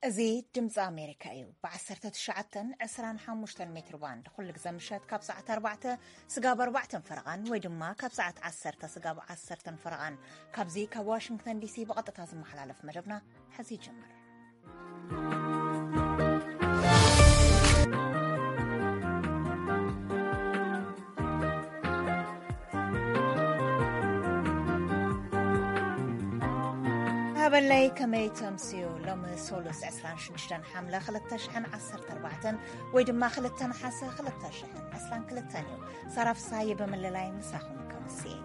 እዚ ድምፂ ኣሜሪካ እዩ። ብ19፣ 25 ሜትር ባንድ ኩሉ ግዜ ምሸት ካብ ሰዓት ኣርባዕተ ስጋብ ኣርባዕተን ፈረቓን ወይ ድማ ካብ ሰዓት ዓሰርተ ስጋብ ዓሰርተን ፈረቓን ካብዚ ካብ ዋሽንግተን ዲሲ ብቐጥታ ዝመሓላለፍ መደብና ሕዚ ይጅምር። ሃበለይ ከመይ ተምስዩ? ሎሚ ሶሉስ ዕስራን ሽዱሽተን ሓምለ ክልተ ሽሕን ዓሰርተ ኣርባዕተን ወይ ድማ ክልተ ነሓሰ ክልተ ሽሕን ዕስራን ክልተን እዩ። ሳራ ፍስሃየ ብምልላይ ምሳኹም ከምስየ።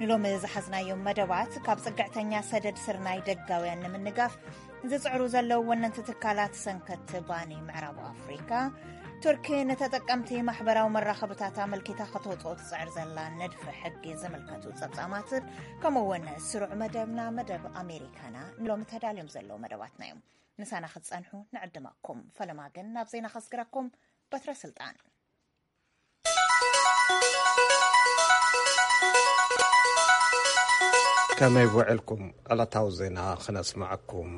ንሎሚ ዝሓዝናዮም መደባት፣ ካብ ጽግዕተኛ ሰደድ ስርናይ ደጋውያን ንምንጋፍ ዝጽዕሩ ዘለዉ ወነንቲ ትካላት ሰንከት ባኒ ምዕራብ ኣፍሪካ፣ ቱርኪ ንተጠቀምቲ ማሕበራዊ መራኸብታት ኣመልኪታ ከተውጽኦ ትጽዕር ዘላ ንድፊ ሕጊ ዝምልከቱ ጸብጻማትን፣ ከምኡ እውን ስሩዕ መደብና፣ መደብ ኣሜሪካና፣ ንሎሚ ተዳልዮም ዘለዉ መደባትና እዮም። ምሳና ክትጸንሑ ንዕድመኩም። ፈለማ ግን ናብ ዜና ከስግረኩም። በትረ ስልጣን። ከመይ ውዕልኩም? ዕለታዊ ዜና ክነስምዐኩም።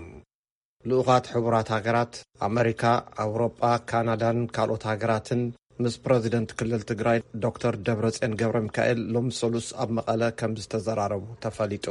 ልኡኻት ሕቡራት ሃገራት፣ ኣመሪካ፣ ኣውሮጳ፣ ካናዳን ካልኦት ሃገራትን ምስ ፕረዚደንት ክልል ትግራይ ዶክተር ደብረጽዮን ገብረ ሚካኤል ሎሚ ሰሉስ ኣብ መቐለ ከም ዝተዘራረቡ ተፈሊጡ።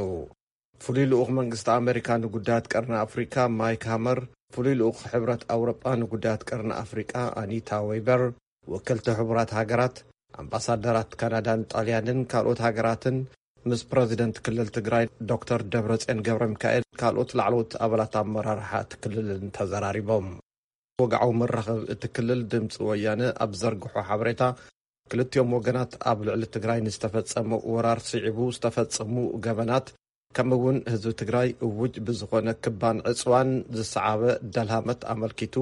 ፍሉይ ልኡኽ መንግስቲ ኣመሪካ ንጉዳያት ቀርኒ ኣፍሪቃ ማይክ ሃመር፣ ፍሉይ ልኡኽ ሕብረት ኣውሮጳ ንጉዳያት ቀርኒ ኣፍሪቃ ኣኒታ ዌይበር፣ ወከልቲ ሕቡራት ሃገራት፣ ኣምባሳደራት ካናዳን ጣልያንን ካልኦት ሃገራትን ምስ ፕረዚደንት ክልል ትግራይ ዶክተር ደብረጽዮን ገብረ ሚካኤል ካልኦት ላዕለዎት ኣባላት ኣመራርሓ እቲ ክልልን ተዘራሪቦም። ወግዓዊ መራኸቢ እቲ ክልል ድምፂ ወያነ ኣብ ዘርግሖ ሓበሬታ፣ ክልቲኦም ወገናት ኣብ ልዕሊ ትግራይ ንዝተፈጸመ ወራር ስዒቡ ዝተፈጸሙ ገበናት፣ ከምኡ እውን ህዝቢ ትግራይ እውጅ ብዝኾነ ክባን ዕፅዋን ዝሰዓበ ደልሃመት ኣመልኪቱ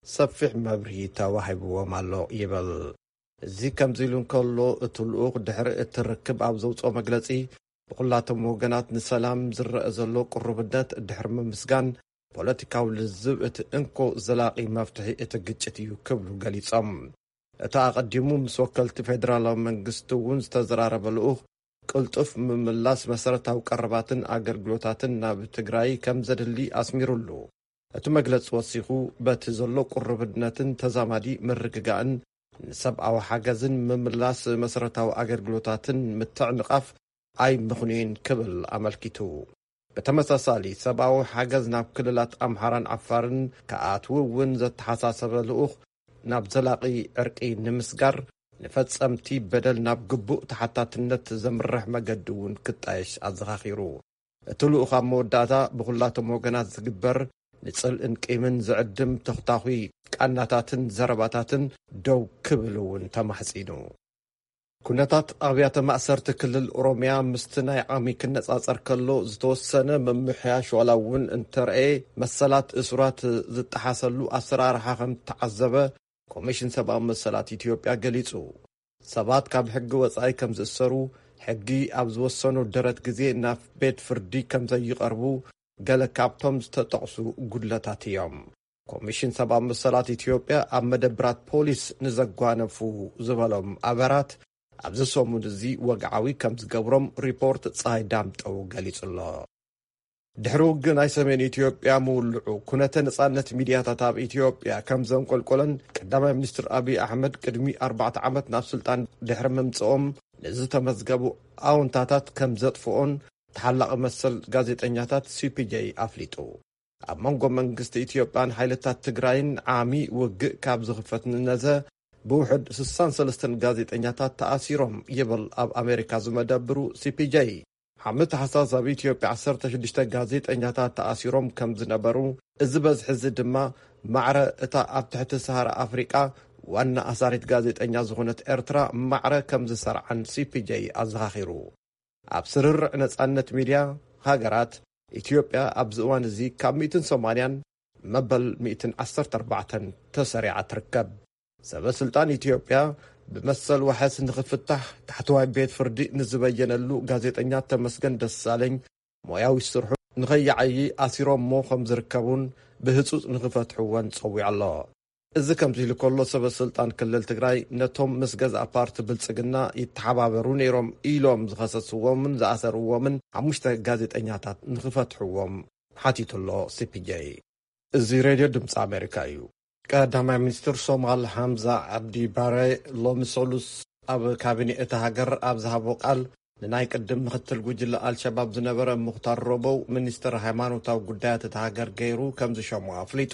ሰፊሕ መብርሂ ተዋሂብዎም ኣሎ ይብል። እዚ ከምዚ ኢሉ እንከሎ፣ እቲ ልኡኽ ድሕሪ እቲ ርክብ ኣብ ዘውፅኦ መግለፂ፣ ብኹላቶም ወገናት ንሰላም ዝረአ ዘሎ ቅሩብነት ድሕሪ ምምስጋን፣ ፖለቲካዊ ልዝብ እቲ እንኮ ዘላቒ መፍትሒ እቲ ግጭት እዩ ክብሉ ገሊጾም። እቲ ኣቐዲሙ ምስ ወከልቲ ፌደራላዊ መንግስቲ እውን ዝተዘራረበ ልኡኽ፣ ቅልጡፍ ምምላስ መሰረታዊ ቀረባትን ኣገልግሎታትን ናብ ትግራይ ከም ዘድሊ ኣስሚሩሉ። እቲ መግለጺ ወሲኹ፣ በቲ ዘሎ ቅሩብነትን ተዛማዲ ምርግጋእን ንሰብኣዊ ሓገዝን ምምላስ መሰረታዊ ኣገልግሎታትን ምትዕንቓፍ ኣይምኽኑይን ክብል ኣመልኪቱ። ብተመሳሳሊ፣ ሰብኣዊ ሓገዝ ናብ ክልላት ኣምሓራን ዓፋርን ክኣትው እውን ዘተሓሳሰበ ልኡኽ፣ ናብ ዘላቒ ዕርቂ ንምስጋር፣ ንፈጸምቲ በደል ናብ ግቡእ ተሓታትነት ዘምርሕ መገዲ እውን ክጣየሽ ኣዘኻኺሩ። እቲ ልኡኽ ኣብ መወዳእታ፣ ብኹላቶም ወገናት ዝግበር ንጽልእን ቂምን ዝዕድም ተኽታኹይ ቃናታትን ዘረባታትን ደው ክብል እውን ተማሕጺኑ። ኩነታት ኣብያተ ማእሰርቲ ክልል ኦሮምያ ምስቲ ናይ ዓሚ ክነጻጸር ከሎ ዝተወሰነ ምምሕያሽ ዋላ እውን እንተረኤ፣ መሰላት እሱራት ዝጠሓሰሉ ኣሰራርሓ ከም ተዓዘበ ኮሚሽን ሰብኣዊ መሰላት ኢትዮጵያ ገሊጹ። ሰባት ካብ ሕጊ ወጻኢ ከም ዝእሰሩ፣ ሕጊ ኣብ ዝወሰኖ ደረት ግዜ ናብ ቤት ፍርዲ ከም ዘይቐርቡ ገለ ካብቶም ዝተጠቕሱ ጉድለታት እዮም። ኮሚሽን ሰብኣዊ መሰላት ኢትዮጵያ ኣብ መደብራት ፖሊስ ንዘጓነፉ ዝበሎም ኣበራት ኣብዚ ሰሙን እዚ ወግዓዊ ከም ዝገብሮም ሪፖርት ፀሃይ ዳምጠው ገሊጹ ኣሎ። ድሕሪ ውግእ ናይ ሰሜን ኢትዮጵያ ምውልዑ፣ ኩነተ ነጻነት ሚድያታት ኣብ ኢትዮጵያ ከም ዘንቆልቆለን ቀዳማይ ሚኒስትር ኣብይ ኣሕመድ ቅድሚ ኣርባዕተ ዓመት ናብ ስልጣን ድሕሪ ምምጽኦም ንዝተመዝገቡ ኣወንታታት ከም ዘጥፍኦን ተሓላቒ መሰል ጋዜጠኛታት ሲ ፒ ጄ ኣፍሊጡ። ኣብ መንጎ መንግስቲ ኢትዮጵያን ሓይልታት ትግራይን ዓሚ ውግእ ካብ ዝኽፈት ንነዘ ብውሕድ ስሳን ሰለስተን ጋዜጠኛታት ተኣሲሮም ይብል ኣብ ኣሜሪካ ዝመደብሩ ሲ ፒ ጄ። ዓሚ ታሕሳስ ኣብ ኢትዮጵያ ዓሰርተ ሽዱሽተ ጋዜጠኛታት ተኣሲሮም ከም ዝነበሩ፣ እዚ በዝሒ እዚ ድማ ማዕረ እታ ኣብ ትሕቲ ሰሃራ ኣፍሪቃ ዋና ኣሳሪት ጋዜጠኛ ዝኾነት ኤርትራ ማዕረ ከም ዝሰርዓን ሲ ፒ ጄ ኣዘኻኺሩ። ኣብ ስርርዕ ነጻነት ሚድያ ሃገራት፣ ኢትዮጵያ ኣብዚ እዋን እዚ ካብ ሚእትን ሰማንያን መበል ሚእትን ዓሰርተ ኣርባዕተን ተሰሪዓ ትርከብ። ሰበ ስልጣን ኢትዮጵያ ብመሰል ዋሕስ ንኽፍታሕ ታሕተዋይ ቤት ፍርዲ ንዝበየነሉ ጋዜጠኛ ተመስገን ደሳለኝ ሞያዊ ስርሑ ንኸይዓዪ ኣሲሮሞ ከም ዝርከቡን ብህጹጽ ንኽፈትሕዎን ጸዊዑ ኣሎ። እዚ ከምዚ ኢሉ ከሎ፣ ሰበ ስልጣን ክልል ትግራይ ነቶም ምስ ገዛእ ፓርቲ ብልጽግና ይተሓባበሩ ነይሮም ኢሎም ዝኸሰስዎምን ዝኣሰርዎምን ሓሙሽተ ጋዜጠኛታት ንኽፈትሕዎም ሓቲቱ ኣሎ። ሲ ፒ ጄ። እዚ ሬድዮ ድምፂ ኣሜሪካ እዩ። ቀዳማይ ሚኒስትር ሶማል ሓምዛ ዓብዲ ባረ ሎሚ ሰሉስ ኣብ ካቢኔ እታ ሃገር ኣብ ዝሃቦ ቃል፣ ንናይ ቅድም ምክትል ጉጅለ ኣልሸባብ ዝነበረ ሙኽታር ረቦው ሚኒስትር ሃይማኖታዊ ጉዳያት እታ ሃገር ገይሩ ከም ዝሸሞ ኣፍሊጡ።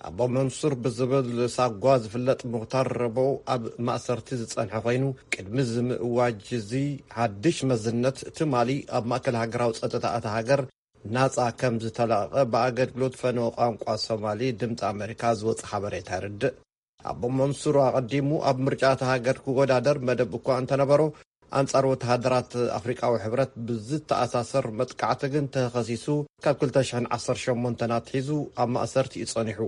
ኣቦ መንሱር ብዝብል ሳጓ ዝፍለጥ ሙኽታር ረቦው ኣብ ማእሰርቲ ዝጸንሐ ኮይኑ፣ ቅድሚ እዚ ምእዋጅ እዚ ሓድሽ መዝነት ትማሊ ኣብ ማእከል ሃገራዊ ጸጥታ እታ ሃገር ናጻ ከም ዝተለቐቐ ብኣገልግሎት ፈነወ ቋንቋ ሶማሊ ድምፂ ኣሜሪካ ዝወፀ ሓበሬታ የርድእ። ኣቦ መንሱር ኣቐዲሙ ኣብ ምርጫ እታ ሃገር ክወዳደር መደብ እኳ እንተነበሮ፣ ኣንጻር ወተሃደራት ኣፍሪቃዊ ሕብረት ብዝተኣሳሰር መጥቃዕቲ ግን ተኸሲሱ ካብ ክልተ ሽሕን ዓሰርተ ሸሞንተን ኣትሒዙ ኣብ ማእሰርቲ እዩ ጸኒሑ።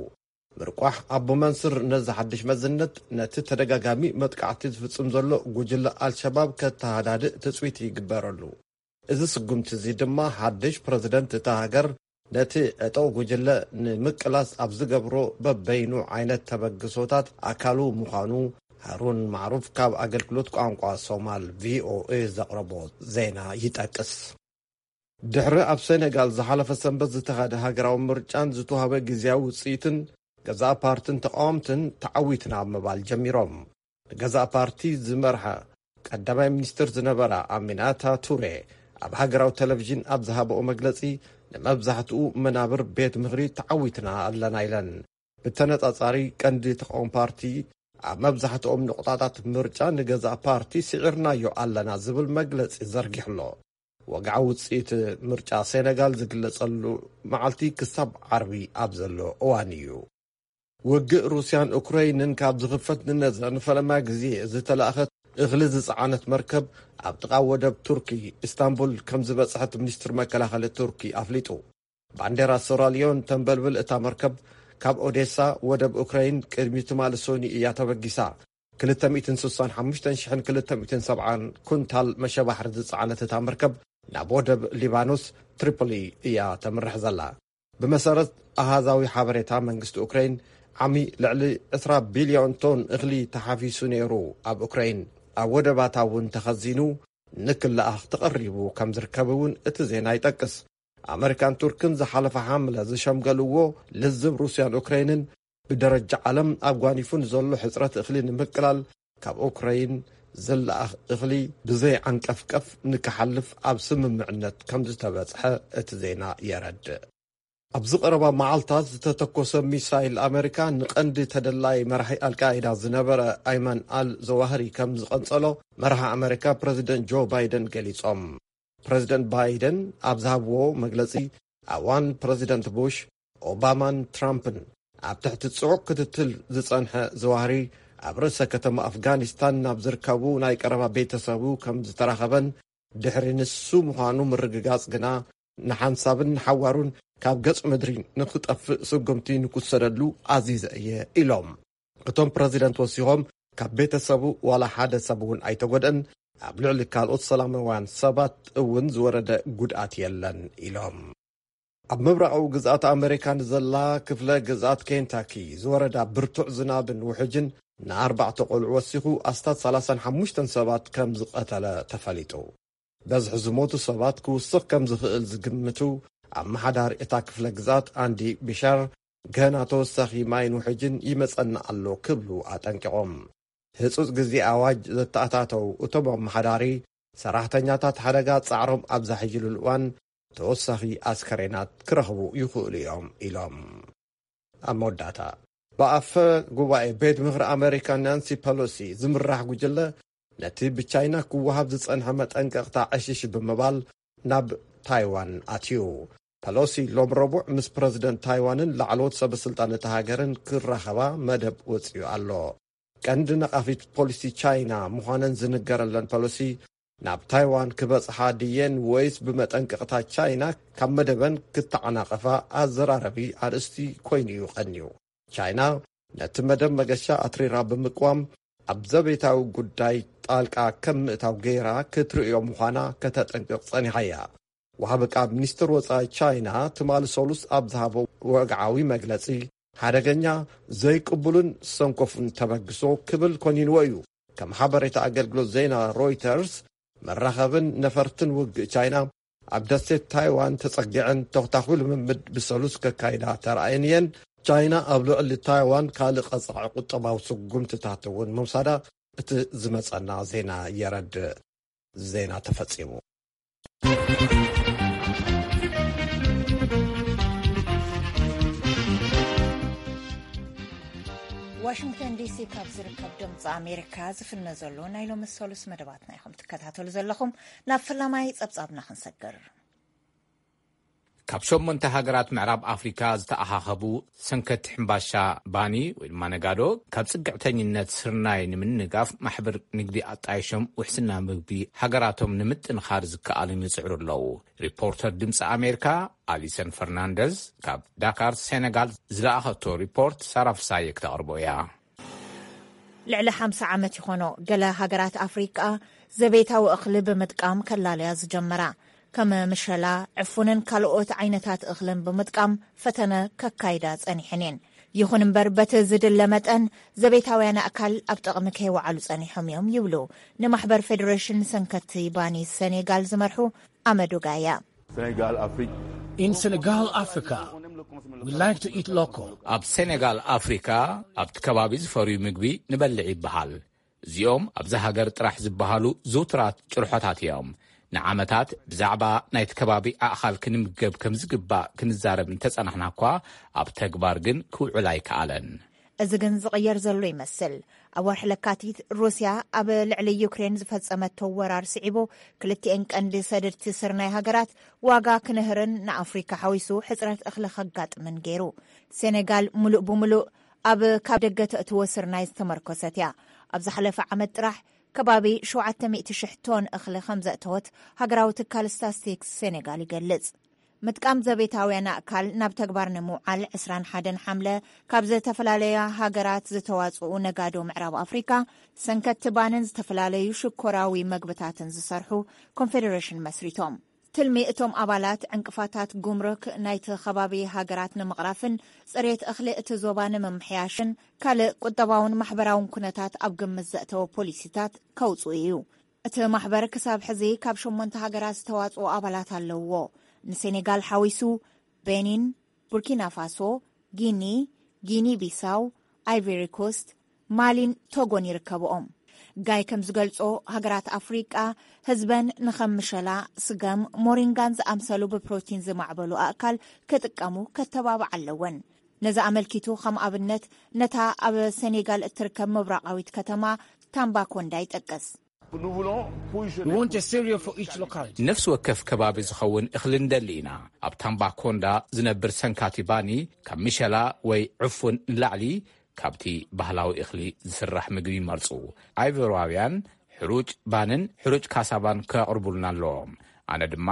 ምርቋሕ ኣቦ መንስር ነዚ ሓድሽ መዝነት ነቲ ተደጋጋሚ መጥቃዕቲ ዝፍጽም ዘሎ ጉጅለ ኣልሸባብ ከተሃዳድእ ትጽቢት ይግበረሉ። እዚ ስጉምቲ እዚ ድማ ሓድሽ ፕረዚደንት እታ ሃገር ነቲ ዕጡቕ ጉጅለ ንምቅላስ ኣብ ዝገብሮ በበይኑ ዓይነት ተበግሶታት ኣካሉ ምዃኑ ሃሩን ማዕሩፍ ካብ ኣገልግሎት ቋንቋ ሶማል ቪ ኦ ኤ ዘቕረቦ ዜና ይጠቅስ። ድሕሪ ኣብ ሴኔጋል ዝሓለፈ ሰንበት ዝተኻደ ሃገራዊ ምርጫን ዝተዋህበ ግዜያዊ ውጽኢትን፣ ገዛእ ፓርትን ተቓወምትን ተዓዊትና ምባል ጀሚሮም። ንገዛእ ፓርቲ ዝመርሓ ቀዳማይ ሚኒስትር ዝነበራ ኣሚናታ ቱሬ ኣብ ሃገራዊ ቴሌቪዥን ኣብ ዝሃበኦ መግለጺ፣ ንመብዛሕትኡ መናብር ቤት ምኽሪ ተዓዊትና ኣለና ኢለን። ብተነጻጻሪ ቀንዲ ተቓውሞ ፓርቲ ኣብ መብዛሕትኦም ንቑጣታት ምርጫ ንገዛእ ፓርቲ ስዒርናዮ ኣለና ዝብል መግለጺ ዘርጊሑ ኣሎ። ወግዓዊ ውጽኢት ምርጫ ሴነጋል ዝግለጸሉ መዓልቲ ክሳብ ዓርቢ ኣብ ዘሎ እዋን እዩ። ውግእ ሩስያን ኡክረይንን ካብ ዝኽፈት ንነዘ ንፈለማ ግዜ ዝተላእኸት እኽሊ ዝጸዓነት መርከብ ኣብ ጥቓ ወደብ ቱርኪ ኢስታንቡል ከም ዝበጽሐት ሚኒስትር መከላኸሊ ቱርኪ ኣፍሊጡ። ባንዴራ ሴራሊዮን ተንበልብል እታ መርከብ ካብ ኦዴሳ ወደብ ኡክረይን ቅድሚ ትማሊ ሶኒ እያ ተበጊሳ። ክልተ ሚእትን ስሳን ሓሙሽተን ሽሕን ክልተ ሚእትን ሰብዓን ኩንታል መሸባሕሪ ዝጸዓነት እታ መርከብ ናብ ወደብ ሊባኖስ ትሪፖሊ እያ ተምርሕ ዘላ። ብመሰረት ኣሃዛዊ ሓበሬታ መንግስቲ ኡክረይን፣ ዓሚ ልዕሊ ዕስራ ቢልዮን ቶን እኽሊ ተሓፊሱ ነይሩ ኣብ ኡክረይን። ኣብ ወደባታ እውን ተኸዚኑ ንክለኣኽ ተቐሪቡ ከም ዝርከብ እውን እቲ ዜና ይጠቅስ። ኣመሪካን ቱርክን ዝሓለፈ ሓምለ ዝሸምገልዎ ልዝብ ሩስያን ኡክረይንን ብደረጃ ዓለም ኣጓኒፉ ንዘሎ ሕጽረት እኽሊ ንምቅላል ካብ ኡክረይን ዝለኣኽ እኽሊ ብዘይ ዓንቀፍቀፍ ንክሓልፍ ኣብ ስምምዕነት ከም ዝተበጽሐ እቲ ዜና የረድእ። ኣብዚ ቀረባ መዓልታት ዝተተኮሰ ሚሳይል ኣመሪካ ንቐንዲ ተደላይ መራሒ ኣልቃይዳ ዝነበረ ኣይመን ኣል ዘዋህሪ ከም ዝቐንጸሎ መራሒ ኣመሪካ ፕረዚደንት ጆ ባይደን ገሊጾም። ፕረዚደንት ባይደን ኣብ ዝሃብዎ መግለጺ፣ ኣዋን ፕረዚደንት ቡሽ፣ ኦባማን ትራምፕን ኣብ ትሕቲ ጽዑቕ ክትትል ዝጸንሐ ዘዋህሪ ኣብ ርእሰ ከተማ ኣፍጋኒስታን ናብ ዝርከቡ ናይ ቀረባ ቤተሰቡ ከም ዝተራኸበን ድሕሪ ንሱ ምዃኑ ምርግጋጽ ግና ንሓንሳብን ንሓዋሩን ካብ ገጽ ምድሪ ንኽጠፍእ ስጉምቲ ንክውሰደሉ ኣዚዘ እየ ኢሎም። እቶም ፕረዚደንት ወሲኾም፣ ካብ ቤተሰቡ ዋላ ሓደ ሰብ እውን ኣይተጎድአን፣ ኣብ ልዕሊ ካልኦት ሰላማውያን ሰባት እውን ዝወረደ ጉድኣት የለን ኢሎም። ኣብ ምብራቓዊ ግዝኣት ኣመሪካ ንዘላ ክፍለ ግዝኣት ኬንታኪ ዝወረዳ ብርቱዕ ዝናብን ውሕጅን ንኣርባዕተ ቆልዑ ወሲኹ ኣስታት ሰላሳን ሓሙሽተን ሰባት ከም ዝቐተለ ተፈሊጡ። በዝሒ ዝሞቱ ሰባት ክውስኽ ከም ዝኽእል ዝግምቱ ኣመሓዳሪ እታ ክፍለ ግዝኣት ኣንዲ ቢሻር፣ ገና ተወሳኺ ማይን ውሕጅን ይመጸና ኣሎ ክብሉ ኣጠንቂቖም። ህጹጽ ግዜ ኣዋጅ ዘተኣታተው እቶም ኣመሓዳሪ፣ ሰራሕተኛታት ሓደጋ ጻዕሮም ኣብ ዘሕይሉሉ እዋን ተወሳኺ ኣስከሬናት ክረኽቡ ይኽእሉ እዮም ኢሎም። ኣብ መወዳእታ፣ ብኣፈ ጉባኤ ቤት ምኽሪ ኣመሪካ ናንሲ ፐሎሲ ዝምራሕ ጉጅለ ነቲ ብቻይና ክወሃብ ዝጸንሐ መጠንቀቕታ ዕሽሽ ብምባል ናብ ታይዋን ኣትዩ። ፐሎሲ ሎም ረቡዕ ምስ ፕረዚደንት ታይዋንን ላዕለዎት ሰበ ስልጣን እታ ሃገርን ክራኸባ መደብ ወጺኡ ኣሎ። ቀንዲ ነቓፊት ፖሊሲ ቻይና ምዃነን ዝንገረለን ፐሎሲ፣ ናብ ታይዋን ክበጽሓ ድየን ወይስ ብመጠንቀቕታ ቻይና ካብ መደበን ክተዓናቐፋ ኣዘራረቢ ኣርእስቲ ኮይኑ እዩ ቀንዩ። ቻይና ነቲ መደብ መገሻ ኣትሪራ ብምቅዋም፣ ኣብ ዘቤታዊ ጉዳይ ጣልቃ ከም ምእታው ገይራ ክትርእዮ ምዃና ከተጠንቅቕ ጸኒሓ እያ። ወሃቢ ቃል ሚኒስትር ወጻኢ ቻይና ትማሊ ሰሉስ ኣብ ዝሃቦ ወግዓዊ መግለጺ፣ ሓደገኛ፣ ዘይቅቡልን ሰንኮፉን ተበግሶ ክብል ኮኒንዎ እዩ። ከም ሓበሬታ ኣገልግሎት ዜና ሮይተርስ፣ መራኸብን ነፈርትን ውግእ ቻይና ኣብ ደሴት ታይዋን ተጸጊዐን ተኽታኹ ልምምድ ብሰሉስ ከካይዳ ተራእየን እየን። ቻይና ኣብ ልዕሊ ታይዋን ካልእ ቀጻዒ ቁጠባዊ ስጉምትታት እውን ምውሳዳ እቲ ዝመጸና ዜና የረድእ። ዜና ተፈጺሙ። ዋሽንግተን ዲሲ ካብ ዝርከብ ድምፂ ኣሜሪካ ዝፍነ ዘሎ ናይ ሎሚ ሰሉስ መደባትና ኢኹም ትከታተሉ ዘለኹም። ናብ ፈላማይ ጸብጻብና ክንሰግር። ካብ ሸሞንተ ሃገራት ምዕራብ ኣፍሪካ ዝተኣኻኸቡ ሰንከቲ ሕምባሻ ባኒ ወይ ድማ ነጋዶ ካብ ጽግዕተኝነት ስርናይ ንምንጋፍ ማሕበር ንግዲ ኣጣይሾም ውሕስና ምግቢ ሃገራቶም ንምጥንኻር ዝከኣልን ይጽዕሩ ኣለዉ። ሪፖርተር ድምፂ ኣሜሪካ ኣሊሰን ፈርናንደዝ ካብ ዳካር ሴነጋል ዝለኣኸቶ ሪፖርት ሳራ ፍሳየ ክተቕርቦ እያ። ልዕሊ ሓምሳ ዓመት ይኾኖ ገለ ሃገራት ኣፍሪቃ ዘቤታዊ እኽሊ ብምጥቃም ከላለያ ዝጀመራ። ከም ምሸላ፣ ዕፉንን ካልኦት ዓይነታት እኽልን ብምጥቃም ፈተነ ከካይዳ ጸኒሐን እየን። ይኹን እምበር፣ በቲ ዝድለ መጠን ዘቤታውያን ኣእካል ኣብ ጥቕሚ ከይወዓሉ ጸኒሖም እዮም ይብሉ ንማሕበር ፌደሬሽን ሰንከቲ ባኒ ሰኔጋል ዝመርሑ ኣመዱ ጋያ። Senegal, Afrique. In Senegal, Africa, we like to eat local. ኣብ ሴኔጋል ኣፍሪካ ኣብቲ ከባቢ ዝፈርዩ ምግቢ ንበልዕ ይበሃል። እዚኦም ኣብዚ ሃገር ጥራሕ ዝበሃሉ ዝውቱራት ጭርሖታት እዮም። ንዓመታት ብዛዕባ ናይቲ ከባቢ ኣእኻል ክንምገብ ከም ዝግባእ ክንዛረብ እንተጸናሕና እኳ ኣብ ተግባር ግን ክውዕል ኣይከኣለን። እዚ ግን ዝቕየር ዘሎ ይመስል። ኣብ ወርሒ ለካቲት ሩስያ ኣብ ልዕሊ ዩክሬን ዝፈጸመቶ ወራር ስዒቡ ክልቲኤን ቀንዲ ሰደድቲ ስርናይ ሃገራት ዋጋ ክንህርን ንኣፍሪካ ሓዊሱ ሕጽረት እኽሊ ከጋጥምን ገይሩ። ሴኔጋል ሙሉእ ብሙሉእ ኣብ ካብ ደገ ተእትዎ ስርናይ ዝተመርኮሰት እያ። ኣብ ዝሓለፈ ዓመት ጥራሕ ከባቢ ሸውዓተ ሚእቲ ሽሕ ቶን እኽሊ ከም ዘእተወት ሃገራዊ ትካል ስታስቲክስ ሴኔጋል ይገልጽ። ምጥቃም ዘቤታውያን ኣእካል ናብ ተግባር ንምውዓል ዕስራን ሓደን ሓምለ ካብ ዝተፈላለያ ሃገራት ዝተዋጽኡ ነጋዶ ምዕራብ ኣፍሪካ ሰንከቲ ባንን ዝተፈላለዩ ሽኮራዊ መግብታትን ዝሰርሑ ኮንፌደሬሽን መስሪቶም። ትልሚ እቶም ኣባላት ዕንቅፋታት ጉምሩክ ናይቲ ከባቢ ሃገራት ንምቕራፍን ጽሬት እኽሊ እቲ ዞባ ንምምሕያሽን ካልእ ቁጠባውን ማሕበራውን ኩነታት ኣብ ግምት ዘእተወ ፖሊሲታት ከውጽኡ እዩ። እቲ ማሕበር ክሳብ ሕዚ ካብ ሸሞንተ ሃገራት ዝተዋጽኦ ኣባላት ኣለውዎ። ንሴኔጋል ሓዊሱ ቤኒን፣ ቡርኪና ፋሶ፣ ጊኒ፣ ጊኒ ቢሳው፣ ኣይቨሪ ኮስት፣ ማሊን ቶጎን ይርከብኦም። ጋይ ከም ዝገልጾ፣ ሃገራት ኣፍሪቃ ህዝበን ንኸም ምሸላ፣ ስገም፣ ሞሪንጋን ዝኣምሰሉ ብፕሮቲን ዝማዕበሉ ኣእካል ክጥቀሙ ከተባብዓ ኣለወን። ነዚ ኣመልኪቱ ከም ኣብነት ነታ ኣብ ሴኔጋል እትርከብ ምብራቓዊት ከተማ ታምባኮንዳ ይጠቅስ። We want a cereal for each locality. ነፍሲ ወከፍ ከባቢ ዝኸውን እኽሊ ንደሊ ኢና። ኣብ ታምባኮንዳ ዝነብር ሰንካቲ ባኒ ካብ ምሸላ ወይ ዕፉን ንላዕሊ ካብቲ ባህላዊ እኽሊ ዝስራሕ ምግቢ ይመርጹ። ኣይቨርዋውያን ሕሩጭ ባንን ሕሩጭ ካሳባን ከቕርቡልና ኣለዎም። ኣነ ድማ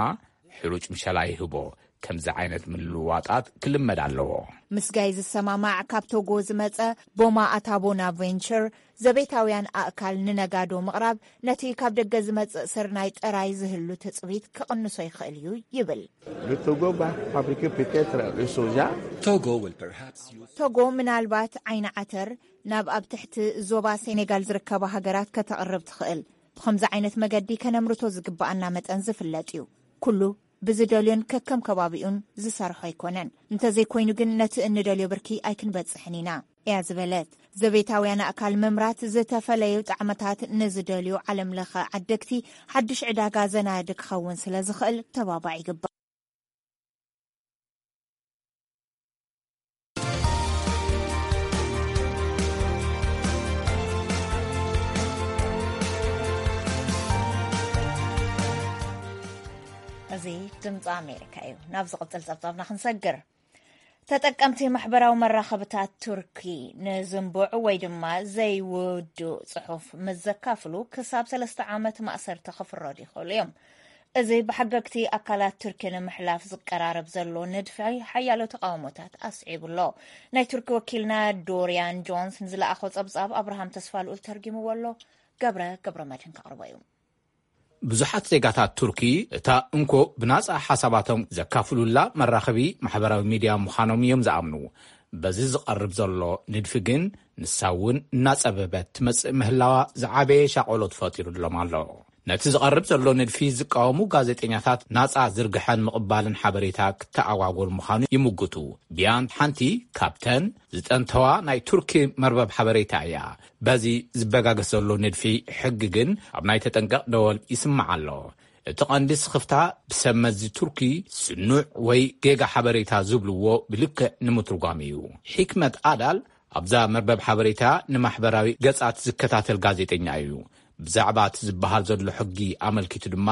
ሕሩጭ ምሸላ ይህቦ። ከምዚ ዓይነት ምልውዋጣት ክልመድ ኣለዎ። ምስ ጋይ ዝሰማማዕ ካብ ቶጎ ዝመጸ ቦማ ኣታቦና ቬንቸር ዘቤታውያን ኣእካል ንነጋዶ ምቕራብ ነቲ ካብ ደገ ዝመጽእ ስርናይ ጥራይ ዝህሉ ትጽቢት ክቕንሶ ይኽእል እዩ ይብል። Le Togo va fabriquer peut-être le soja. Togo will perhaps use ቶጎ ምናልባት ዓይኒ ዓተር ናብ ኣብ ትሕቲ ዞባ ሴኔጋል ዝርከባ ሃገራት ከተቕርብ ትኽእል። ብኸምዚ ዓይነት መገዲ ከነምርቶ ዝግብኣና መጠን ዝፍለጥ እዩ። ኩሉ ብዝደልዮን ከከም ከባቢኡን ዝሰርሖ ኣይኮነን። እንተዘይኮይኑ ግን ነቲ እንደልዮ ብርኪ ኣይክንበጽሕን ኢና እያ ዝበለት። ዘቤታውያን ኣእካል ምምራት ዝተፈለዩ ጣዕመታት ንዝደልዩ ዓለም ለኸ ዓደግቲ ሓድሽ ዕዳጋ ዘናዲ ክኸውን ስለ ዝኽእል ተባባዕ ይግባእ። እዚ ድምፂ ኣሜሪካ እዩ። ናብ ዝቕፅል ፀብፃብና ክንሰግር። ተጠቀምቲ ማሕበራዊ መራኸብታት ቱርኪ ንዝንቡዕ ወይ ድማ ዘይውዱእ ጽሑፍ ምስ ዘካፍሉ ክሳብ ሰለስተ ዓመት ማእሰርቲ ክፍረዱ ይኽእሉ እዮም። እዚ ብሓገግቲ ኣካላት ቱርኪ ንምሕላፍ ዝቀራረብ ዘሎ ንድፊ ሓያሎ ተቓውሞታት ኣስዒቡ ኣሎ። ናይ ቱርኪ ወኪልና ዶሪያን ጆንስ ንዝለኣኾ ጸብጻብ ኣብርሃም ተስፋልኡል ተርጊምዎ ኣሎ። ገብረ ገብረ መድህን ከቕርቦ እዩ። ብዙሓት ዜጋታት ቱርኪ እታ እንኮ ብናጻ ሓሳባቶም ዘካፍሉላ መራኸቢ ማሕበራዊ ሚድያ ምዃኖም እዮም ዝኣምኑ። በዚ ዝቐርብ ዘሎ ንድፊ ግን ንሳ እውን እናጸበበት ትመጽእ ምህላዋ ዝዓበየ ሻቆሎት ፈጢሩሎም ኣሎ። ነቲ ዝቐርብ ዘሎ ንድፊ ዝቃወሙ ጋዜጠኛታት ናጻ ዝርግሐን ምቕባልን ሓበሬታ ክተኣጓጎል ምዃኑ ይምጉቱ። ቢያን ሓንቲ ካብተን ዝጠንተዋ ናይ ቱርኪ መርበብ ሓበሬታ እያ። በዚ ዝበጋገስ ዘሎ ንድፊ ሕጊ ግን ኣብ ናይ ተጠንቀቕ ደወል ይስማዕ ኣሎ። እቲ ቀንዲ ስኽፍታ ብሰብ መዚ ቱርኪ ስኑዕ ወይ ጌጋ ሓበሬታ ዝብልዎ ብልክዕ ንምትርጓም እዩ። ሒክመት ኣዳል ኣብዛ መርበብ ሓበሬታ ንማሕበራዊ ገጻት ዝከታተል ጋዜጠኛ እዩ። ብዛዕባ እቲ ዝበሃል ዘሎ ሕጊ ኣመልኪቱ ድማ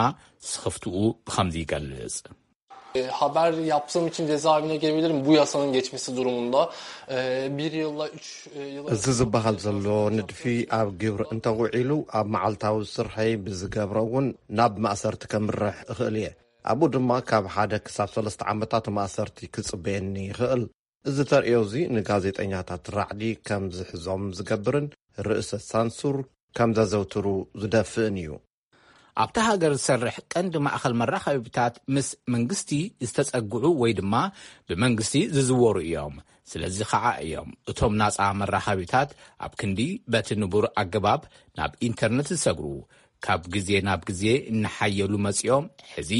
ስኽፍትኡ ብኸምዚ ይገልጽ። Haber yaptığım için cezaevine girebilirim bu yasanın geçmesi durumunda. E, bir yılla üç e, yıla... እዚ ዝበሃል ዘሎ ንድፊ ኣብ ግብሪ እንተውዒሉ ኣብ መዓልታዊ ስርሐይ ብዝገብሮ እውን ናብ ማእሰርቲ ከምርሕ እኽእል እየ። ኣብኡ ድማ ካብ ሓደ ክሳብ ሰለስተ ዓመታት ማእሰርቲ ክጽበየኒ ይኽእል። እዚ ተርእዮ እዚ ንጋዜጠኛታት ራዕዲ ከም ዝሕዞም ዝገብርን ርእሰ ሳንሱር ከም ዘዘውትሩ ዝደፍእን እዩ። ኣብታ ሃገር ዝሰርሕ ቀንዲ ማእኸል መራኸቢታት ምስ መንግስቲ ዝተጸግዑ ወይ ድማ ብመንግስቲ ዝዝወሩ እዮም። ስለዚ ኸዓ እዮም እቶም ናጻ መራኸቢታት ኣብ ክንዲ በቲ ንቡር ኣገባብ ናብ ኢንተርነት ዝሰግሩ። ካብ ግዜ ናብ ግዜ እናሓየሉ መጺኦም ሕዚ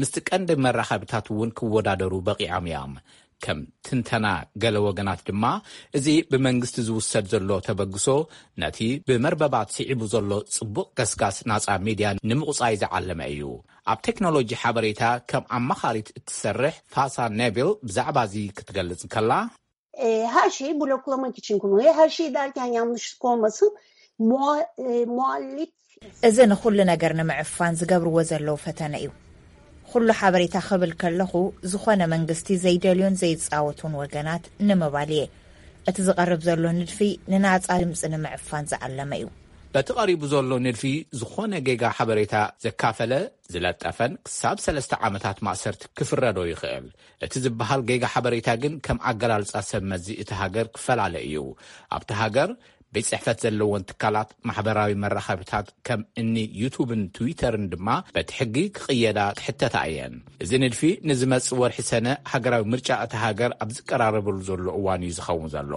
ምስቲ ቀንዲ መራኸቢታት እውን ክወዳደሩ በቒዖም እዮም። ከም ትንተና ገለ ወገናት ድማ፣ እዚ ብመንግስቲ ዝውሰድ ዘሎ ተበግሶ ነቲ ብመርበባት ስዒቡ ዘሎ ጽቡቕ ገስጋስ ናጻ ሚድያ ንምቑጻይ ዝዓለመ እዩ። ኣብ ቴክኖሎጂ ሓበሬታ ከም ኣማኻሪት እትሰርሕ ፋሳ ኔቪል ብዛዕባ እዚ ክትገልጽ እንከላ፣ E, her şeyi bloklamak için kullanıyor. Her şey derken yanlışlık olmasın. Mua, e, muhalif እዚ ንኹሉ ነገር ንምዕፋን ዝገብርዎ ዘለዉ ፈተነ እዩ። ኩሉ ሓበሬታ ክብል ከለኹ፣ ዝኾነ መንግስቲ ዘይደልዮን ዘይጻወቱን ወገናት ንምባል እየ። እቲ ዝቐርብ ዘሎ ንድፊ ንናጻ ድምጺ ንምዕፋን ዝዓለመ እዩ። በቲ ቀሪቡ ዘሎ ንድፊ፣ ዝኾነ ጌጋ ሓበሬታ ዘካፈለ፣ ዝለጠፈን ክሳብ ሰለስተ ዓመታት ማእሰርቲ ክፍረዶ ይኽእል። እቲ ዝበሃል ጌጋ ሓበሬታ ግን ከም ኣገላልጻ ሰብ መዚ እቲ ሃገር ክፈላለ እዩ። ኣብቲ ሃገር ቤት ጽሕፈት ዘለወን ትካላት ማሕበራዊ መራኸብታት ከም እኒ ዩቱብን ትዊተርን ድማ በቲ ሕጊ ክቕየዳ ክሕተታ እየን። እዚ ንድፊ ንዝመጽእ ወርሒ ሰነ ሃገራዊ ምርጫ እታ ሃገር ኣብ ዝቀራረበሉ ዘሎ እዋን እዩ ዝኸውን ዘሎ።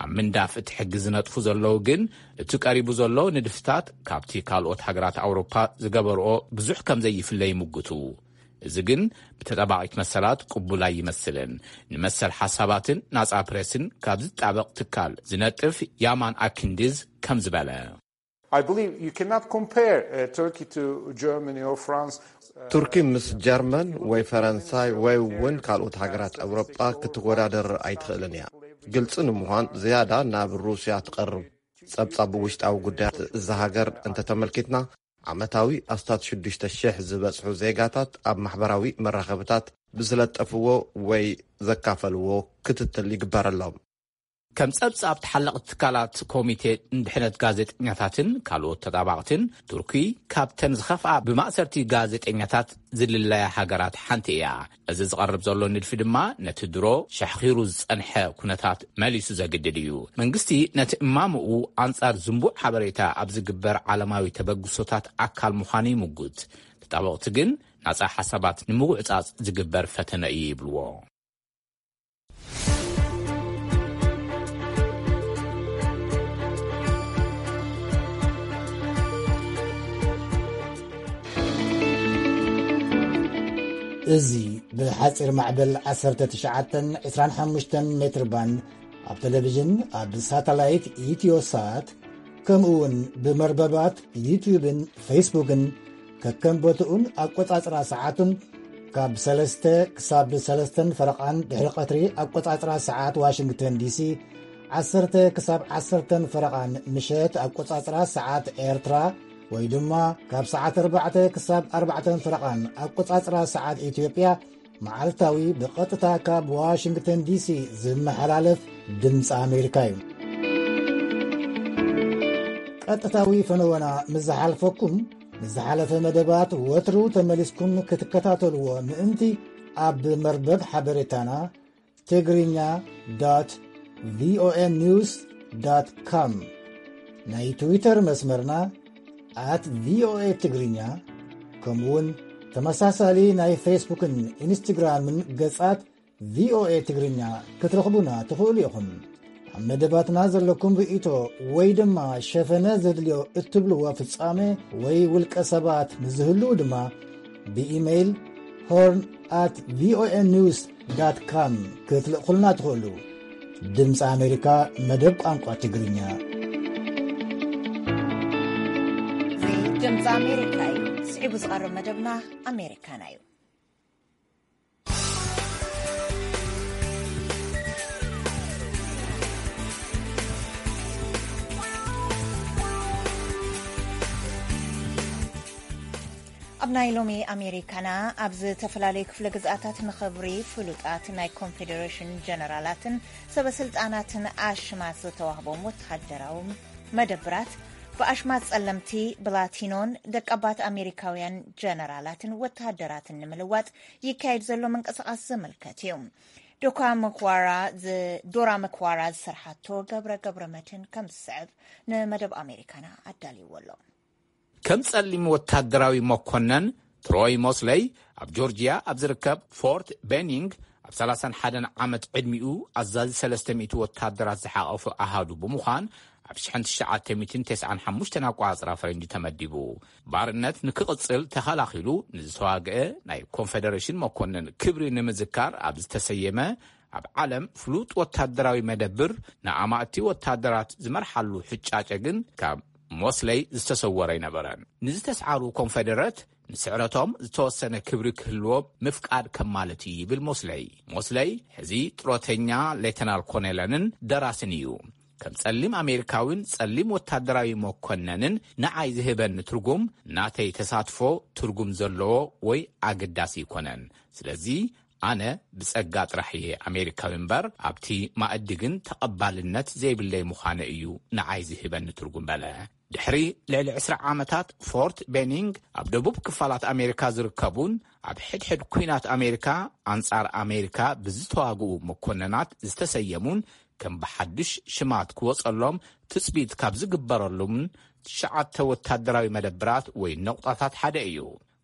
ኣብ ምንዳፍ እቲ ሕጊ ዝነጥፉ ዘለዉ ግን እቲ ቀሪቡ ዘሎ ንድፍታት ካብቲ ካልኦት ሃገራት ኣውሮፓ ዝገበርኦ ብዙሕ ከም ዘይፍለ ይምጉቱ። እዚ ግን ብተጣባቒት መሰላት ቅቡል ኣይመስልን። ንመሰል ሓሳባትን ናጻ ፕሬስን ካብ ዝጣበቕ ትካል ዝነጥፍ ያማን ኣኪንዲዝ ከምዚ በለ። I believe you cannot compare uh, Turkey to Germany or France. ቱርኪ ምስ ጀርመን ወይ ፈረንሳይ ወይ እውን ካልኦት ሃገራት ኣውሮጳ ክትወዳደር ኣይትኽእልን እያ። ግልፂ ንምዃን ዝያዳ ናብ ሩስያ ትቐርብ። ጸብጻብ ውሽጣዊ ጉዳያት እዛ ሃገር እንተተመልኪትና ዓመታዊ ኣስታት ሽዱሽተ ሽሕ ዝበጽሑ ዜጋታት ኣብ ማሕበራዊ መራኸብታት ብዝለጠፍዎ ወይ ዘካፈልዎ ክትትል ይግበረሎም። ከም ጸብጻብ ተሓለቕቲ ትካላት ኮሚቴ ንድሕነት ጋዜጠኛታትን ካልኦት ተጣባቕትን፣ ቱርኪ ካብተን ዝኸፍኣ ብማእሰርቲ ጋዜጠኛታት ዝልለያ ሃገራት ሓንቲ እያ። እዚ ዝቐርብ ዘሎ ንድፊ ድማ ነቲ ድሮ ሻሕኺሩ ዝጸንሐ ኩነታት መሊሱ ዘግድድ እዩ። መንግስቲ ነቲ እማምኡ ኣንጻር ዝንቡዕ ሓበሬታ ኣብ ዝግበር ዓለማዊ ተበግሶታት ኣካል ምዃኑ ይምጉት። ተጣበቕቲ ግን ናጻ ሓሳባት ንምጉዕጻጽ ዝግበር ፈተነ እዩ ይብልዎ። እዚ ብሓጺር ማዕበል ዓሰርተ ትሽዓተን ዕስራን ሓሙሽተን ሜትር ባንድ ኣብ ቴሌቪዥን፣ ኣብ ሳተላይት ኢትዮሳት፣ ከምኡ እውን ብመርበባት ዩትዩብን ፌስቡክን ከከም ቦትኡን ኣቆጻጽራ ሰዓቱን ካብ ሰለስተ ክሳብ ሰለስተን ፈረቓን ድሕሪ ቀትሪ ኣቆጻጽራ ሰዓት ዋሽንግተን ዲሲ፣ ዓሰርተ ክሳብ ዓሰርተን ፈረቓን ምሸት ኣቆጻጽራ ሰዓት ኤርትራ፣ ወይ ድማ ካብ ሰዓት ኣርባዕተ ክሳብ ኣርባዕተን ፈረቓን ኣቆጻጽራ ሰዓት ኢትዮጵያ፣ መዓልታዊ ብቐጥታ ካብ ዋሽንግተን ዲሲ ዝመሓላለፍ ድምፂ ኣሜሪካ እዩ። ቀጥታዊ ፈነወና ምስ ዝሓልፈኩም፣ ንዝሓለፈ መደባት ወትሩ ተመሊስኩም ክትከታተልዎ ምእንቲ፣ ኣብ መርበብ ሓበሬታና ትግርኛ ዶት ቪኦኤ ኒውስ ዶት ኮም፣ ናይ ትዊተር መስመርና ኣት ቪኦኤ ትግርኛ፣ ከምኡውን ተመሳሳሊ ናይ ፌስቡክን ኢንስትግራምን ገጻት ቪኦኤ ትግርኛ ክትረኽቡና ትኽእሉ ኢኹም። ኣብ መደባትና ዘለኩም ርእይቶ ወይ ድማ ሸፈነ ዘድልዮ እትብልዎ ፍጻሜ ወይ ውልቀ ሰባት ንዝህልው ድማ ብኢሜይል ሆርን ኣት ቪኦኤ ኒውስ ዳት ካም ክትልእኹልና ትኽእሉ። ድምፂ ኣሜሪካ፣ መደብ ቋንቋ ትግርኛ። እዚ ድምፂ ኣሜሪካ እዩ። ስዒቡ ዝቐርብ መደብና ኣሜሪካና እዩ። ኣብ ናይ ሎሚ ኣሜሪካና፣ ኣብ ዝተፈላለዩ ክፍለ ግዝኣታት ንኽብሪ ፍሉጣት ናይ ኮንፌደሬሽን ጀነራላትን ሰበ ስልጣናትን ኣሽማት ዝተዋህቦም ወተሃደራዊ መደብራት፣ ብኣሽማት ጸለምቲ ብላቲኖን ደቀባት ኣሜሪካውያን ጀነራላትን ወተሃደራትን ንምልዋጥ ይካየድ ዘሎ ምንቅስቓስ ዘመልከት እዩ። ዶካ መክዋራ ዝ-፣ ዶራ መክዋራ ዝሰርሓቶ ገብረ ገብረ መድህን ከም ዝስዕብ ንመደብ ኣሜሪካና ኣዳልይዎ ኣሎ። ከም ጸሊም ወታደራዊ መኮነን ትሮይ ሞስለይ ኣብ ጆርጂያ ኣብ ዝርከብ ፎርት ቤኒንግ ኣብ ሰላሳን ሓደን ዓመት ዕድሚኡ ኣዛዚ ሰለስተ ሚእቲ ወታደራት ዝሓቐፈ ኣሃዱ ብምዃን ኣብ ሽሕን ትሽዓተ ሚእትን ተስዓን ሓሙሽተን ኣቋጽራ ፈረንጂ ተመዲቡ። ባርነት ንክቕጽል ተኸላኺሉ ንዝተዋግአ ናይ ኮንፌደሬሽን መኮነን ክብሪ ንምዝካር ኣብ ዝተሰየመ ኣብ ዓለም ፍሉጥ ወታደራዊ መደብር ንኣማእቲ ወታደራት ዝመርሓሉ ሕጫጨ ግን ካብ ሞስለይ ዝተሰወረ ኣይነበረን። ንዝተስዓሩ ኮንፌደረት ንስዕረቶም ዝተወሰነ ክብሪ ክህልዎም ምፍቃድ ከም ማለት እዩ ይብል ሞስለይ። ሞስለይ ሕዚ ጥሮተኛ ሌተናል ኮኔለንን ደራስን እዩ። ከም ጸሊም ኣሜሪካዊን ጸሊም ወታደራዊ መኮነንን ንዓይ ዝህበኒ ትርጉም ናተይ ተሳትፎ ትርጉም ዘለዎ ወይ ኣገዳሲ ኣይኮነን። ስለዚ ኣነ ብጸጋ ጥራሕ እየ ኣሜሪካዊ እምበር ኣብቲ ማእዲ ግን ተቐባልነት ዘይብለይ ምዃነ እዩ ንዓይ ዝህበኒ ትርጉም በለ። ድሕሪ ልዕሊ ዕስራ ዓመታት ፎርት ቤኒንግ ኣብ ደቡብ ክፋላት ኣሜሪካ ዝርከቡን ኣብ ሕድሕድ ኲናት ኣሜሪካ ኣንጻር ኣሜሪካ ብዝተዋግኡ መኮነናት ዝተሰየሙን ከም ብሓድሽ ሽማት ክወጸሎም ትጽቢት ካብ ዝግበረሉምን ትሽዓተ ወታደራዊ መደብራት ወይ ነቑጣታት ሓደ እዩ።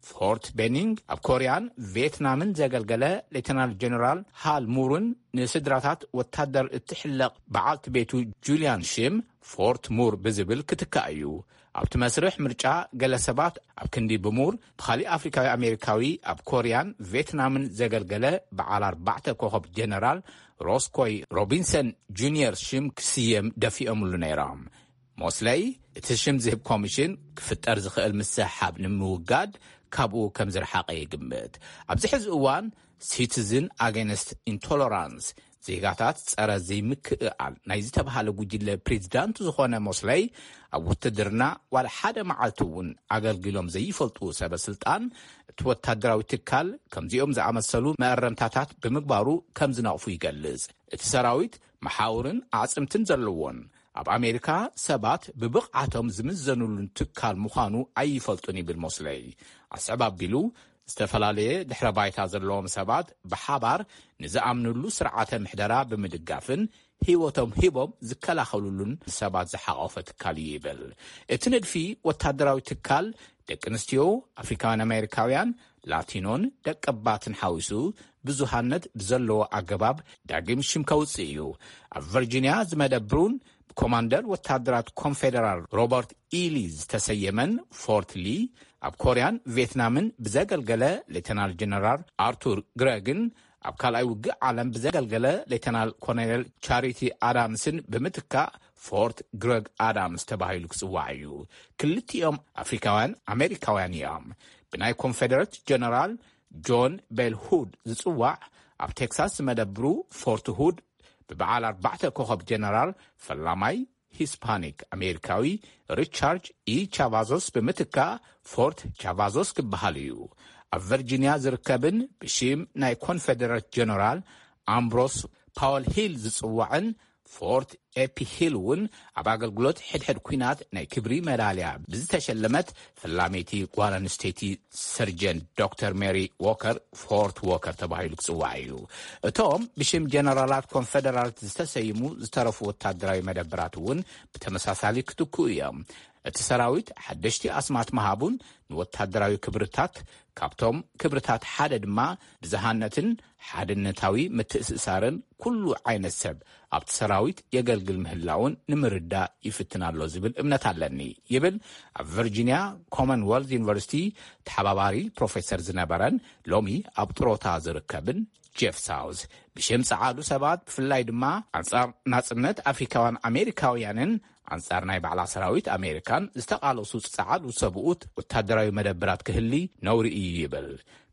ፎርት ቤኒንግ ኣብ ኮርያን ቪየትናምን ዘገልገለ ሌተናል ጀነራል ሃል ሙርን ንስድራታት ወታደር እትሕለቕ በዓልቲ ቤቱ ጁልያን ሽም ፎርት ሙር ብዝብል ክትካእ እዩ። ኣብቲ መስርሕ ምርጫ ገለ ሰባት ኣብ ክንዲ ብሙር ብኻሊእ ኣፍሪካዊ ኣሜሪካዊ ኣብ ኮርያን ቪየትናምን ዘገልገለ በዓል ኣርባዕተ ኮኸብ ጀነራል ሮስኮይ ሮቢንሰን ጁኒየር ሽም ክስየም ደፊኦምሉ ነይሮም። ሞስለይ እቲ ሽም ዝህብ ኮሚሽን ክፍጠር ዝኽእል ምስሕሓብ ንምውጋድ ካብኡ ከም ዝረሓቐ ይግምት። ኣብዚ ሕዚ እዋን ሲቲዝን ኣጌንስት ኢንቶለራንስ፣ ዜጋታት ጸረ ዘይምክእኣል ናይ ዝተባህለ ጉጅለ ፕሬዚዳንት ዝኾነ ሞስለይ ኣብ ውትድርና ዋላ ሓደ መዓልቲ እውን ኣገልጊሎም ዘይፈልጡ ሰበ ስልጣን እቲ ወታደራዊ ትካል ከምዚኦም ዝኣመሰሉ መእረምታታት ብምግባሩ ከም ዝነቕፉ ይገልጽ። እቲ ሰራዊት መሓውርን ኣዕጽምትን ዘለዎን ኣብ ኣሜሪካ ሰባት ብብቕዓቶም ዝምዘኑሉን ትካል ምዃኑ ኣይፈልጡን ይብል ሞስለይ። ኣስዕብ ኣቢሉ ዝተፈላለየ ድሕረ ባይታ ዘለዎም ሰባት ብሓባር ንዝኣምንሉ ስርዓተ ምሕደራ ብምድጋፍን ህይወቶም ሂቦም ዝከላኸሉሉን ሰባት ዝሓቆፈ ትካል እዩ ይብል። እቲ ንድፊ ወታደራዊ ትካል ደቂ ኣንስትዮ ኣፍሪካውያን ኣሜሪካውያን ላቲኖን ደቀባትን ሓዊሱ ብዙሃነት ብዘለዎ ኣገባብ ዳግም ሽም ከውፅእ እዩ። ኣብ ቨርጂኒያ ዝመደብሩን ብኮማንደር ወታደራት ኮንፌደራል ሮበርት ኢሊ ዝተሰየመን ፎርት ሊ ኣብ ኮርያን ቪየትናምን ብዘገልገለ ሌተናል ጀነራል ኣርቱር ግረግን ኣብ ካልኣይ ውግእ ዓለም ብዘገልገለ ሌተናል ኮሎኔል ቻሪቲ ኣዳምስን ብምትካእ ፎርት ግረግ ኣዳምስ ተባሂሉ ክጽዋዕ እዩ። ክልቲኦም ኣፍሪካውያን ኣሜሪካውያን እዮም። ብናይ ኮንፌደሬት ጀነራል ጆን ቤል ሁድ ዝጽዋዕ ኣብ ቴክሳስ ዝመደብሩ ፎርት ሁድ ብበዓል ኣርባዕተ ኮኸብ ጀነራል ፈላማይ ሂስፓኒክ ኣሜሪካዊ ሪቻርድ ኢ ቻቫዞስ ብምትካእ ፎርት ቻቫዞስ ክበሃል እዩ። ኣብ ቨርጂኒያ ዝርከብን ብሽም ናይ ኮንፌደሬት ጀነራል ኣምብሮስ ፓወል ሂል ዝጽዋዕን ፎርት ኤፒ ሂል እውን ኣብ ኣገልግሎት ሕድሕድ ኲናት ናይ ክብሪ መዳልያ ብዝተሸለመት ፈላመይቲ ጓል ኣንስተይቲ ሰርጀንት ዶክተር ሜሪ ዎከር፣ ፎርት ዎከር ተባሂሉ ክጽዋዕ እዩ። እቶም ብሽም ጀነራላት ኮንፈደራልት ዝተሰይሙ ዝተረፉ ወታደራዊ መደበራት እውን ብተመሳሳሊ ክትክኡ እዮም። እቲ ሰራዊት ሓደሽቲ ኣስማት ምሃቡን ንወታደራዊ ክብርታት፣ ካብቶም ክብርታት ሓደ ድማ ብዝሃነትን ሓድነታዊ ምትእስሳርን ኩሉ ዓይነት ሰብ ኣብቲ ሰራዊት የገልግል ምህላውን ንምርዳእ ይፍትን ኣሎ ዝብል እምነት ኣለኒ ይብል ኣብ ቨርጂኒያ ኮመንወልት ዩኒቨርሲቲ ተሓባባሪ ፕሮፌሰር ዝነበረን ሎሚ ኣብ ጥሮታ ዝርከብን ጄፍ ሳውዝ። ብሽም ጸዓዱ ሰባት ብፍላይ ድማ ኣንጻር ናጽነት ኣፍሪካውያን ኣሜሪካውያንን ኣንጻር ናይ ባዕላ ሰራዊት ኣሜሪካን ዝተቓለሱ ጸዓዱ ሰብኡት ወታደራዊ መደብራት ክህሊ ነውሪ እዩ ይብል።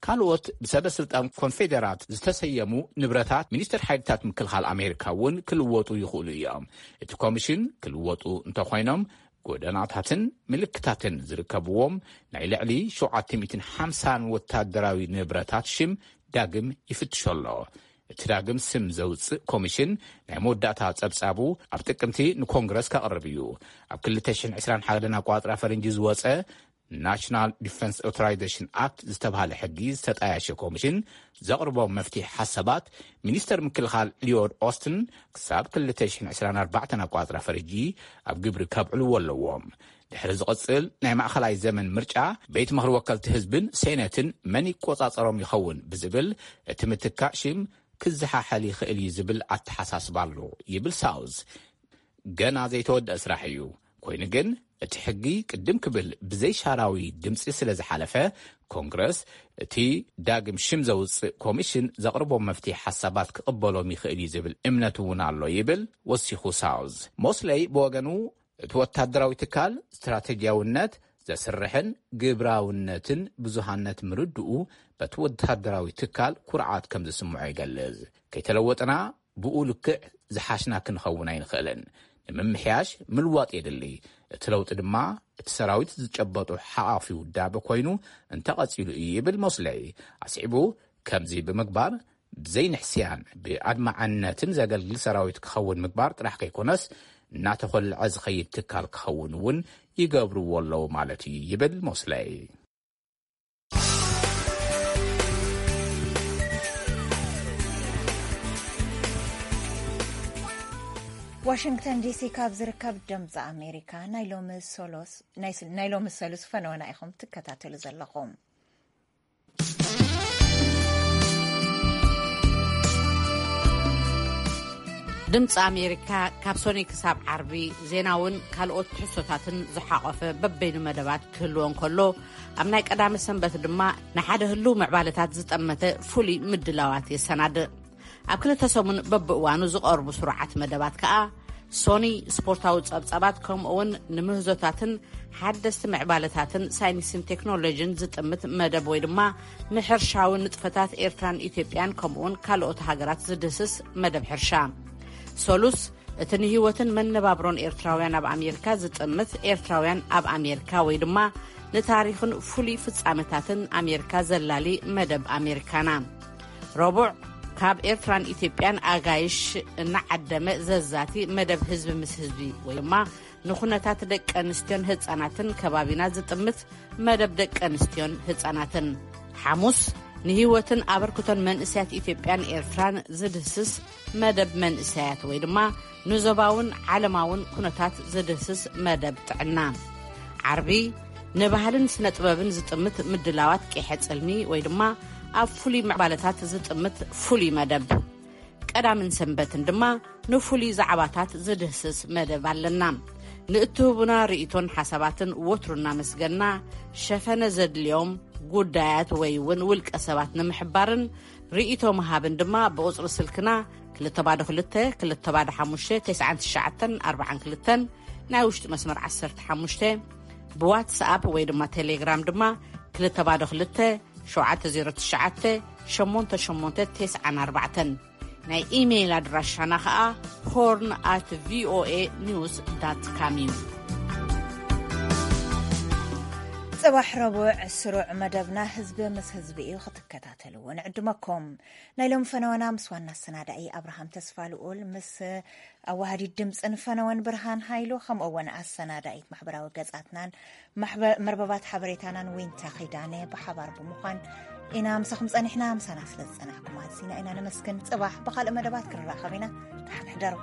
ካልኦት ብሰበ ስልጣን ኮንፌደራት ዝተሰየሙ ንብረታት ሚኒስትር ሓይልታት ምክልኻል ኣሜሪካ እውን ክልወጡ ይኽእሉ እዮም። እቲ ኮሚሽን ክልወጡ እንተኾይኖም ጎደናታትን ምልክታትን ዝርከብዎም ናይ ልዕሊ ሸውዓተ ሚእትን ሓምሳን ወታደራዊ ንብረታት ሽም ዳግም ይፍትሾ ኣሎ። እቲ ዳግም ስም ዘውፅእ ኮሚሽን ናይ መወዳእታ ጸብጻቡ ኣብ ጥቅምቲ ንኮንግረስ ከቕርብ እዩ። ኣብ ክልተ ሽሕን ዕስራን ሓደን ኣቋጽራ ፈረንጂ ዝወጸ ናሽናል ዲፈንስ ኦቶራይዜሽን ኣክት ዝተባህለ ሕጊ ዝተጣያሸ ኮሚሽን ዘቕርቦም መፍትሒ ሓሳባት ሚኒስተር ምክልኻል ሊዮድ ኦስትን ክሳብ ክልተ ሽሕን ዕስራን ኣርባዕተን ኣቋጽራ ፈረንጂ ኣብ ግብሪ ከብዕልዎ ኣለዎም። ድሕሪ ዝቕጽል ናይ ማእኸላይ ዘመን ምርጫ ቤት ምኽሪ ወከልቲ ህዝብን ሴነትን መን ይቆጻጸሮም ይኸውን ብዝብል እቲ ምትካእ ሽም ክዘሓሐል ይኽእል እዩ ዝብል ኣተሓሳስባ ኣሎ ይብል ሳውዝ። ገና ዘይተወደአ ስራሕ እዩ። ኮይኑ ግን እቲ ሕጊ ቅድም ክብል ብዘይሻራዊ ድምፂ ስለ ዝሓለፈ ኮንግረስ እቲ ዳግም ሽም ዘውፅእ ኮሚሽን ዘቕርቦም መፍትሒ ሓሳባት ክቕበሎም ይኽእል እዩ ዝብል እምነት እውን ኣሎ ይብል ወሲኹ ሳውዝ። ሞስለይ ብወገኑ እቲ ወታደራዊ ትካል ስትራተጂያውነት ዘስርሕን ግብራውነትን ብዙሃነት ምርድኡ በቲ ወታደራዊ ትካል ኩርዓት ከም ዝስምዖ ይገልጽ። ከይተለወጥና ብኡ ልክዕ ዝሓሽና ክንኸውን ኣይንኽእልን። ንምምሕያሽ ምልዋጥ የድሊ። እቲ ለውጢ ድማ እቲ ሰራዊት ዝጨበጡ ሓቓፊ ውዳበ ኮይኑ እንተቐጺሉ እዩ ይብል ሞስለይ። ኣስዒቡ ከምዚ ብምግባር ብዘይንሕስያን ብኣድማዕነትን ዘገልግል ሰራዊት ክኸውን ምግባር ጥራሕ ከይኮነስ እናተኾልዐ ዝኸይድ ትካል ክኸውን እውን ይገብርዎ ኣለዉ ማለት እዩ ይብል ሞስለይ። ዋሽንግተን ዲሲ ካብ ዝርከብ ድምፂ ኣሜሪካ ናይ ሎሚ ሶሎስ- ናይ ስል- ናይ ሎሚ ሰሉስ ፈነወና ኢኹም ትከታተሉ ዘለኹም። ድምፂ ኣሜሪካ ካብ ሶኒ ክሳብ ዓርቢ ዜናውን ካልኦት ትሕዝቶታትን ዝሓቆፈ በበይኑ መደባት ክህልዎ እንከሎ፣ ኣብ ናይ ቀዳመ ሰንበት ድማ ንሓደ ህልው ምዕባለታት ዝጠመተ ፍሉይ ምድላዋት የሰናድእ። ኣብ ክልተ ሰሙን በብእዋኑ ዝቐርቡ ስሩዓት መደባት ከኣ ሶኒ ስፖርታዊ ጸብጻባት፣ ከምኡውን ንምህዞታትን ሓደስቲ ምዕባለታትን ሳይንስን ቴክኖሎጂን ዝጥምት መደብ ወይ ድማ ንሕርሻዊ ንጥፈታት ኤርትራን ኢትዮጵያን ከምኡውን ካልኦት ሃገራት ዝድህስስ መደብ ሕርሻ። ሶሉስ እቲ ንህይወትን መነባብሮን ኤርትራውያን ኣብ ኣሜሪካ ዝጥምት ኤርትራውያን ኣብ ኣሜሪካ ወይ ድማ ንታሪኽን ፍሉይ ፍጻመታትን ኣሜሪካ ዘላሊ መደብ ኣሜሪካና። ረቡዕ ካብ ኤርትራን ኢትዮጵያን ኣጋይሽ እናዓደመ ዘዛቲ መደብ ህዝቢ ምስ ህዝቢ ወይ ድማ ንኹነታት ደቂ ኣንስትዮን ህጻናትን ከባቢና ዝጥምት መደብ ደቂ ኣንስትዮን ህጻናትን። ሓሙስ ንህይወትን ኣበርክቶን መንእሰያት ኢትዮጵያን ኤርትራን ዝድህስስ መደብ መንእሰያት ወይ ድማ ንዞባውን ዓለማውን ኩነታት ዝድህስስ መደብ ጥዕና። ዓርቢ ንባህልን ስነ ጥበብን ዝጥምት ምድላዋት ቂሐ ጽልሚ ወይ ድማ ኣብ ፍሉይ ምዕባለታት ዝጥምት ፍሉይ መደብ። ቀዳምን ሰንበትን ድማ ንፍሉይ ዛዕባታት ዝድህስስ መደብ ኣለና። ንእትህቡና ርእይቶን ሓሳባትን ወትሩ እናመስገና፣ ሸፈነ ዘድልዮም ጉዳያት ወይ እውን ውልቀ ሰባት ንምሕባርን ርእይቶ ምሃብን ድማ ብቁጽሪ ስልክና ክልተ ባዶ ክልተ፣ ክልተ ባዶ ሓሙሽተ፣ ተስዓን ትሽዓተን ኣርባዓን ክልተን፣ ናይ ውሽጢ መስመር ዓሰርተ ሓሙሽተ፣ ብዋትስኣፕ ወይ ድማ ቴሌግራም ድማ ክልተ ባዶ ክልተ፣ ሸውዓተ ዜሮ ትሽዓተ፣ ሸሞንተ ሸሞንተ ተስዓን ኣርባዕተን። ናይ ኢሜይል ኣድራሻና ኸኣ ሆርን ኣት ቪኦኤ ኒውስ ዳት ካም እዩ። ጽባሕ ረቡዕ ስሩዕ መደብና ህዝቢ ምስ ህዝቢ እዩ ክትከታተልዎ ንዕድመኩም። ናይ ሎም ፈነወና ምስ ዋና ኣሰናዳኢ ኣብርሃም ተስፋ ልኡል፣ ምስ ኣዋሃዲት ድምፅን ፈነወን ብርሃን ሃይሉ፣ ከምኡ እውን ኣሰናዳኢት ማሕበራዊ ገጻትናን መርበባት ሓበሬታናን ዊንታ ኺዳነ ብሓባር ብምዃን ኢና ምሳኹም ጸኒሕና። ምሳና ስለ ዝጸናሕኩም ኣዝና ኢና ነመስግን። ጽባሕ ብኻልእ መደባት ክንራኸብ ኢና። ደሓን ሕደሩ።